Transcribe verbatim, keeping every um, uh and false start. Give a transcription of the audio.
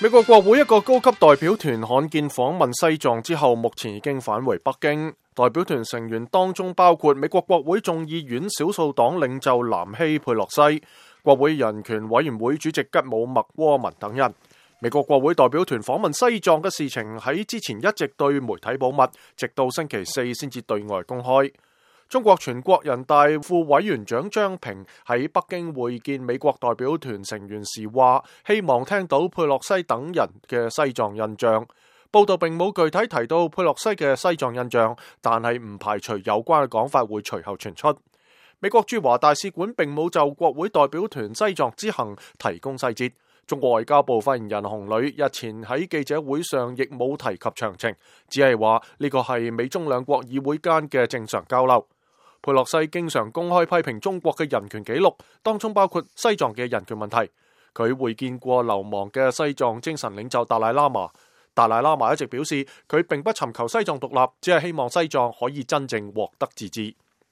美國國會一個高級代表團罕見訪問西藏之後，目前已經返回北京。代表團成員當中包括美國國會眾議院少數黨領袖南希佩洛西、國會人權委員會主席吉姆麥窩文等人。美國國會代表團訪問西藏嘅事情喺之前一直對媒體保密，直到星期四先至對外公開。中國全國人大副委員長張平喺北京會見美國代表團成員時話，希望聽到佩洛西等人嘅西藏印象。報道並冇具體提到佩洛西嘅西藏印象，但係唔排除有關嘅講法會隨後傳出。美國駐華大使館並冇就國會代表團西藏之行提供細節。中國外交部發言人洪磊日前喺記者會上亦冇提及詳情，只係話呢個係美中兩國議會間嘅正常交流。佩洛西經常公開批評中國嘅人權紀錄，當中包括西藏嘅人權問題。佢會見過流亡嘅西藏精神領袖達賴喇嘛。達賴喇嘛一直表示，佢並不尋求西藏獨立，只係希望西藏可以真正獲得自治。